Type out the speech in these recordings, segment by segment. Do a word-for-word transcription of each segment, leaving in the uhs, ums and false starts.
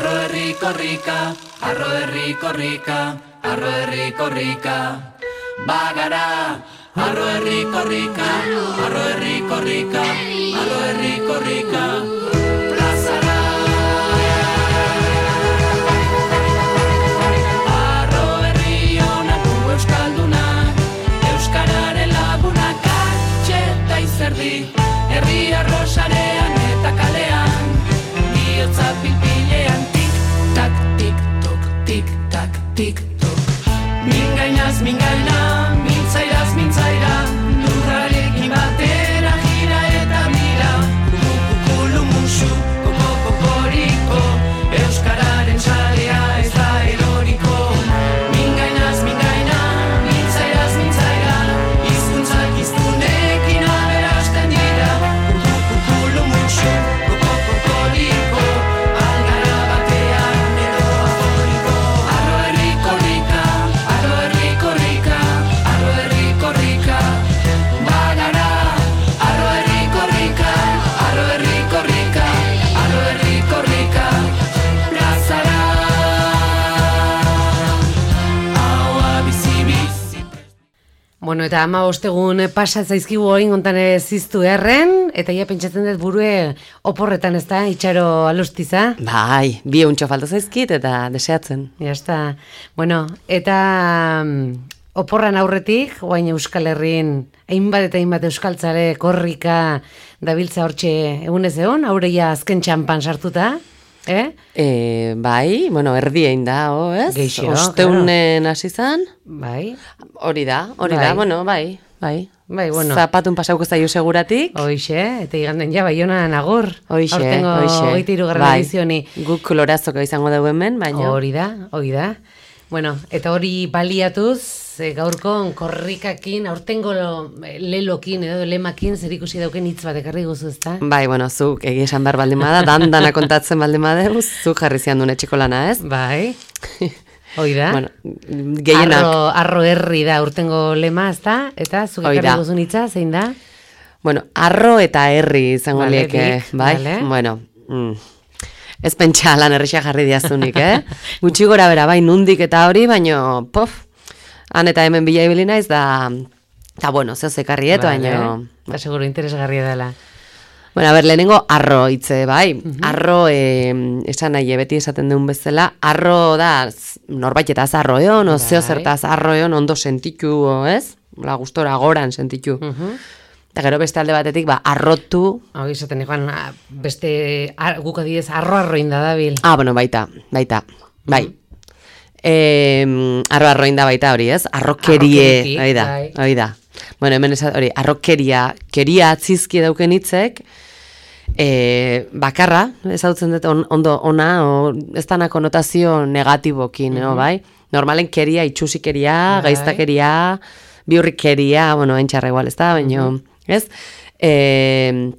arro herri korrika, arro herri korrika, arro herri korrika. Bagara, arro herri korrika, arro herri korrika, arro herri korrika. Plazara. Arro herri honak gu euskaldunak, euskararen lagunak atxeta izerdi. Herri arrosarean eta kalean, bihotza pilpilean tik-tak, tik-tok, tik-tak, tik-tok. Mingainaz mingaina, mintzairaz mintzaira, lurrarekin batera gira eta mira. Kukukulu musu, koko-kokoriko, euskararen txalea ez da eroriko. Mingainaz mingaina, mintzairaz mintzaira, hizkuntzak hiztunekin aberasten dira. Kukukulu musu, koko-kokoriko, algara batean edo aforiko. Arro herri korrika, arro herri korrika, arro herri korrika. Bagara, arro herri korrika, arro herri korrika, arro herri korrika. Plazara, haua bizi-bizi. Bueno, eta ama ostegun pasa zaizkigu orain hontan ziztu erren, eta ja pentsatzen dut burue oporretan ez da, itxaro alustiza. Bai, bi euntxo falta zaizkit eta deseatzen. Ja está. Bueno, eta mm, oporran aurretik, guain Euskal Herrin, hainbat eta hainbat euskaltzare korrika dabiltza hortxe egunez egon, haureia azken txampan sartuta, eh? E, bai, bueno, erdiein da, ho, ez? Geixo, Osteunen hasi zan, Bai, hori da, hori Bai. da, bueno, bai, bai. bai, bueno. Zapatun pasauko zaio seguratik. Hoixe, eta iganden ja Baionan agor. Hoixe, Aurtengo hoixe. hogeita hirugarren Bai. edizioni. Guk kolorazoko izango dugu hemen, baina... Hori da, hori da. Bueno, eta hori baliatuz, e, gaurkon korrikakin, aurtengo lo- lelokin edo lemakin zer ikusi dauken hitz bat ekarri guzu, ezta? Bai, bueno, zuk egia esan behar baldin bada, dandana kontatzen baldin badeu, zuk jarri zian duen etxeko lana, ez? Bai. Hoi da. Bueno, gehienak... Arro, arro herri da urtengo lema, ezta? Eta zuk Hoi ekarri da. guzun hitza, zein da? Bueno, arro eta herri izango Vale, lieke, dik, bai? vale. Bueno, mm, ez pentsa lan errexia jarri diazunik, eh? Gutxi gora bera, bai, nundik eta hori, baino, pof, han eta hemen bila ibili naiz, da, eta bueno, zeo zekarriet, baino... Eta seguro interesgarria dela. Bueno, a ber, lehenengo arro hitze, bai. Arro, eh, esan nahi, beti esaten duen bezala, arro da, z- norbaitetaz arro eon, o zeo Bai. zertaz arro eon, ondo sentitu, ez? La gustora goran sentitu. Mhm. Eta gero beste alde batetik, ba, arrotu, Hau izaten ikuan, beste, ar, guk adidez, arro-arroin da dabil. ah, bueno, baita, baita, bai. Eh, arro arroin da baita hori, ez? Arrokerie, Arrokeriki, hori da, bai. hori da. Bueno, hemen esat, hori, arrokeria, keria atzizki dauken hitzek, eh, bakarra, ezagutzen dut on, ondo ona, o, ez dana konotazio negatibokin, no, bai? Normalen keria, itxusikeria, Bai. gaiztakeria, biurrikeria, bueno, entxarra igual, ez da, baino, ez? Eh,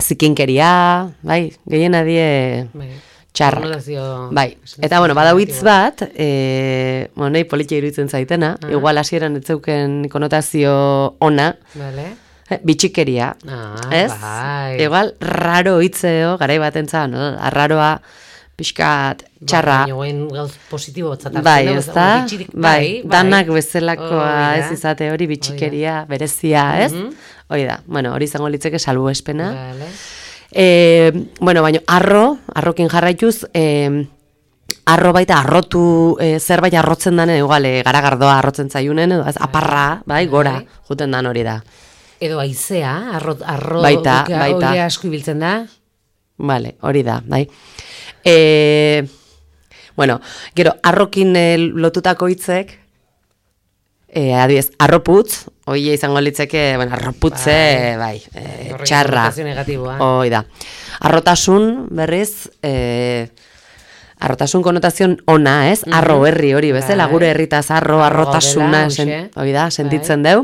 zikinkeria, bai, gehiena die... Bai. Txarrak. Konotazio- Bai, eta bueno, badau hitz bat, e, bueno, nahi politia iruditzen zaitena, igual hasieran ez zeuken konotazio ona, Vale. eh, bitxikeria, Ah, ez? bai. Igual raro hitzeo, garai batentzan, no? Arraroa, pixkat, txarra, Baina guen gauz positibo batzat hartzen bai, dugu, ez da? bitxirik, Bai, danak bezalakoa Hori da. ez izate hori bitxikeria, berezia, ez? Hori da, bueno, hori izango litzeke salbuespena. Vale. E, bueno, baina arro, arrokin jarraituz, e, arro baita arrotu, e, zerbait arrotzen danen, igual, e, garagardoa arrotzen zaiunen, edo ez, aparra, bai, gora, juten dan hori da. Edo aizea, arro, arro Baita, guk baita. hori asko ibiltzen da. Vale, hori da, bai. E, bueno, gero, arrokin e, lotutako hitzek, e, adibidez, arroputz, hori izango litzeke, bueno, arroputze, bai, e, Horrek txarra. konotazio negatiboa. Hoi da. Arrotasun, berriz, e, arrotasun konotazion ona, ez? Arro herri hori, bezala, Bai. gure herritaz arro, Arro arrotasuna, gaudela, sen, hoxe. hori da, sentitzen deu.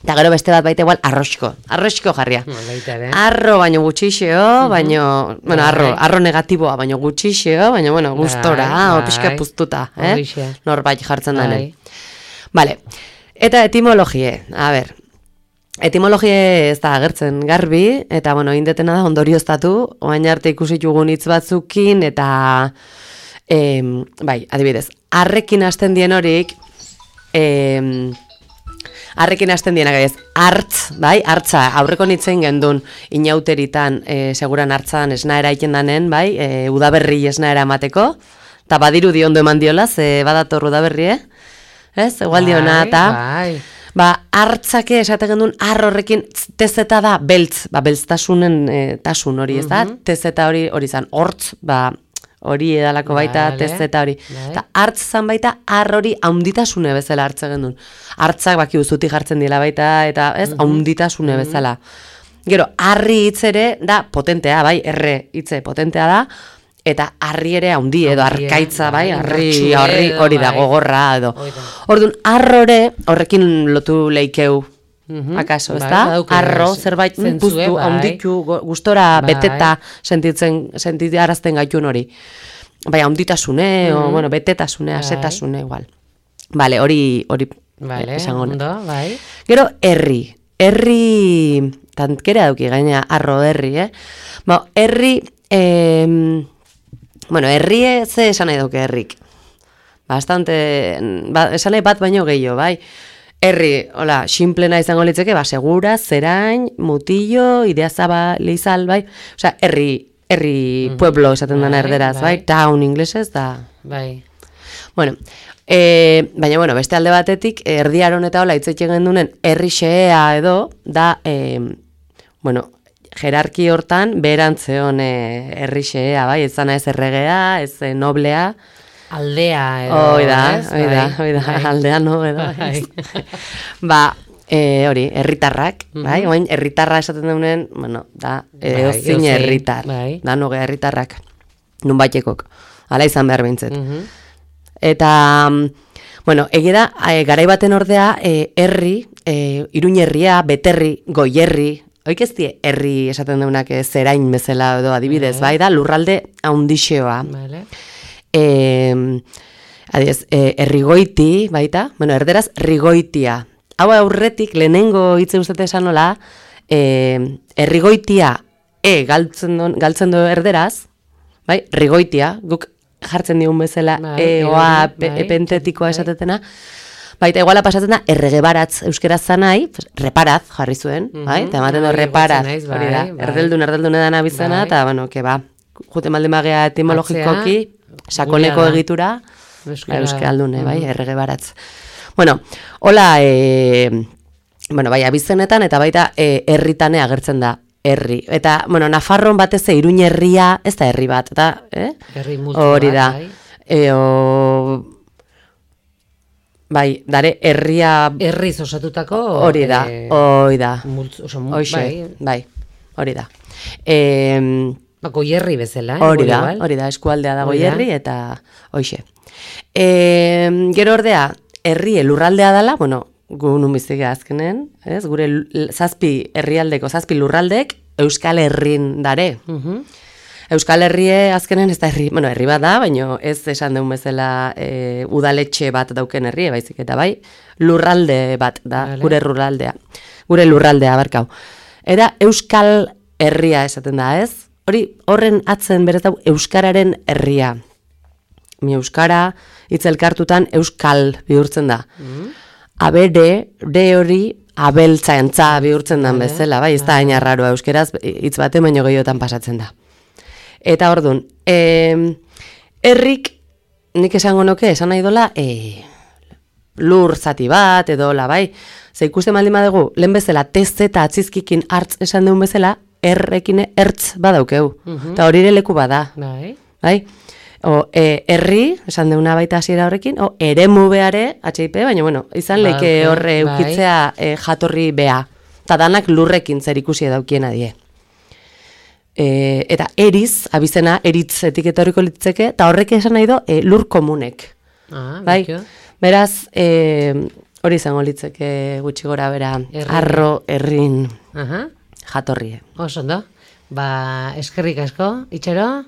Eta gero beste bat baita igual, arroxko, arroxko jarria. Baita ere. Arro baino gutxixeo, baino, bueno, arro, Bai. arro negatiboa, baino gutxixeo, baino, bueno, gustora, Bai, o pixka bai. puztuta, eh? Horixe. Norbait jartzen Bai. danen. Vale, eta etimologie, a ber, etimologie ez da agertzen garbi, eta, bueno, indetena da ondorioztatu, oain arte ikusi dugun hitz batzukin, eta E, bai, adibidez, arrekin hasten dien horik, e, arrekin hasten dienak ez, hartz, bai, hartza, aurreko nitzen gendun, inauteritan, e, seguran hartzan esna eraiten danen, bai, e, udaberri esna eramateko, eta badiru di ondo eman diola, ze badator udaberri, eh? Ez, egual diona, eta... Bai, Ba, hartzake esate gendun, ar horrekin tezeta da beltz, ba, beltztasunen e, tasun hori, ez da? Mhm. Tezeta hori, hori zan, hortz, ba, hori edalako baita, Vale. tezeta hori. Bai. Eta hartz zan baita, ar hori haunditasune bezala hartze gendun. Hartzak baki uzuti jartzen dila baita, eta ez, haunditasune bezala. Gero, harri hitz ere, da, potentea, bai, erre hitze potentea da, eta harri ere haundi edo Haundia, arkaitza, bai, bai, harri, indartsu harri edo, hori da, bai. gogorra edo. Hori da. Orduan, arrore horrekin lotu leikeu, Mhm. akaso, ez Bai, da? badauke Arro, ze- zerbait zentzue, puztu, bai. haunditu, go- gustora Bai. beteta sentitzen, sentitarazten gaitun hori. Bai, haunditasune, o, bueno, betetasune, Bai. asetasune, igual. Vale, hori, hori Vale, esango nuke. ondo, bai. Gero, herri. Herri, tantkera dauki gaina, arro herri, eh? Ba, herri, eh, bueno, herri ze esan nahi dauke herrik. Bastante, ba, esan nahi bat baino gehiago, bai. Herri, hola, simplena izango litzeke, ba, segura, zerain, mutillo, ideazaba, leizal, bai. Osea, herri, herri pueblo esaten dena Bai, erderaz, bai. bai. Town inglesez, da... Bai. Bueno, e, baina, bueno, beste alde batetik, erdiaron eta hola hitzetxe gendunen herri xea edo, da, e, bueno, jerarki hortan, beherantzeon e, herri xea, bai, ez zana ez erregea, ez e, noblea, Aldea edo, hoi da, ez? hoi da, Bai, hoi da, bai. aldea no, edo. Bai. Ba, e, hori, herritarrak, bai, oain herritarra esaten daunen, bueno, da, Bai, eozin edozein, herritar, bai. da, noge herritarrak, nun baitekok, ala izan behar behintzet. Mhm. Eta, mm, bueno, egia da, e, garai baten ordea, e, herri, e, iruñerria, beterri, goierri, oik ez die, herri esaten deunak e, zerain bezala edo adibidez, bai da, lurralde haundixeoa. Vale. E, adiez, e, errigoiti, baita, bueno, erderaz, rigoitia. Hau aurretik, lehenengo hitze ustate esan nola, e, errigoitia, e, galtzen do, galtzen do erderaz, bai, rigoitia, guk jartzen digun bezala, Bai, e, oa, hori, pe, bai, epentetikoa bai. esatetena, baita, iguala pasatzen da, erregebaratz euskeraz zanai, pues, reparaz jarri zuen, bai, eta ematen du Hori reparaz, igualtzen naiz, hori da, bai, bai. erdeldun, erdeldun edan abizena, Bai. eta, bueno, que ba, jute malde magea etimologikoki, sakoneko gurea da. egitura, Euskara. ba, euskaldune, bai, errege baratz. Bueno, hola, e, bueno, bai, abizenetan, eta baita e, herritane agertzen da, herri. Eta, bueno, Nafarron batez Iruñ herria, ez da herri bat, eta, eh? Herri multzo Hori bat, da. bai. E, o, bai, dare, herria, Herriz osatutako... hori da, eh, hori da. multzo, oso, mul- Hoxe, bai, bai, hori da. E, bako hierri bezala, eh? Hori da, igual. hori da, eskualdea dago Hori da. herri eta hoixe. E, gero ordea, herri lurraldea dela, bueno, gu nun biziga azkenen, ez? Gure l- zazpi herrialdeko, zazpi lurraldek Euskal Herrin dare. Mhm. Euskal Herrie azkenen ez da herri, bueno, herri bat da, baina ez esan deun bezala e, udaletxe bat dauken herrie, baizik eta bai, lurralde bat da, Vale. gure lurraldea. Gure lurraldea, barkau. Era Euskal Herria esaten da, ez? Hori, horren atzen berez dau Euskararen herria. Mi Euskara, hitz elkartutan Euskal bihurtzen da. Abere, de hori, abeltzaintza bihurtzen dan Vale. bezala, bai, ez da hain arraroa euskeraz, hitz bate baino gehiotan pasatzen da. Eta ordun, eh, herrik, nik esango nuke, esan nahi dola, eh, lur zati bat, edo la, bai, ze ikusten baldin badugu, lehen bezala, tez eta atzizkikin hartz esan deun bezala, errekin ertz badaukeu. Eta hori ere leku bada, Bai. bai? O, e, herri, esan deuna baita hasiera horrekin, o, eremu beare, H I P, baina, bueno, izan Bai, leke horre bai. eukitzea e, jatorri bea. Eta danak lurrekin zer ikusi daukiena die. E, eta eriz, abizena, eritz etiketoriko litzeke, eta horrek esan nahi do, e, lur komunek. Ah, Bai, betio. beraz, e, hori izango litzeke gutxi gora bera, Herri. arro, herrin, Aha. jatorrie. Oso ondo. Ba, eskerrik asko, itxero,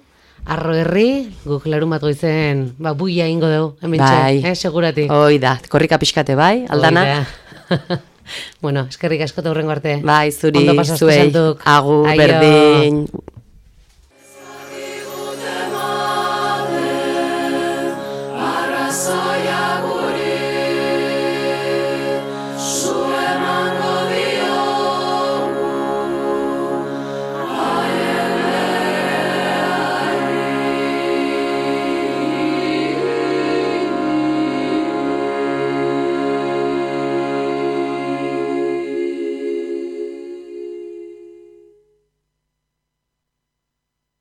arro herri, guk larun bat goizen, ba, buia ingo dugu, hemen Bai. eh, seguratik. Hoi da, korrika pixkate bai, aldana. Hoi da. Bueno, eskerrik asko eta hurrengo arte. Bai, zuri, Ondo pasazte zuei, santuk. agur, Aio. berdin.